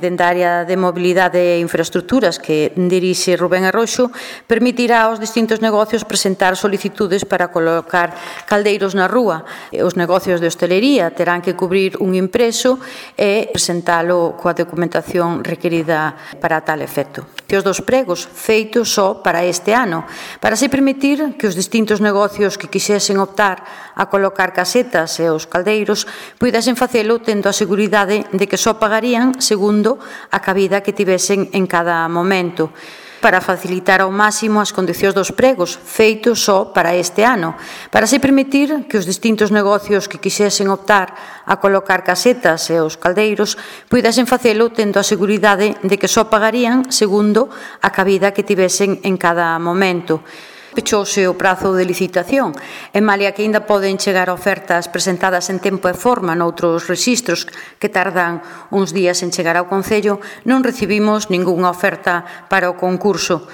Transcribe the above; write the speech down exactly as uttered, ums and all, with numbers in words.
Dende a área de mobilidade e infraestructuras que dirixe Rubén Arroxo, permitirá aos distintos negocios presentar solicitudes para colocar caldeiros na rúa. Os negocios de hostelería terán que cubrir un impreso e presentalo coa documentación requerida para tal efecto. Os dos pregos feitos só para este ano, para se permitir que os distintos negocios que quixesen optar a colocar casetas e os caldeiros puidesen facelo tendo a seguridade de que só pagarían segundo a cabida que tivesen en cada momento, para facilitar ao máximo as condicións dos pregos feitos só para este ano, para se permitir que os distintos negocios que quixesen optar a colocar casetas e os caldeiros puidesen facelo tendo a seguridade de que só pagarían segundo a cabida que tivesen en cada momento. Pechouse o prazo de licitación, e malia que ainda poden chegar ofertas presentadas en tempo e forma noutros rexistros que tardan uns días en chegar ao Concello, non recibimos ningunha oferta para o concurso.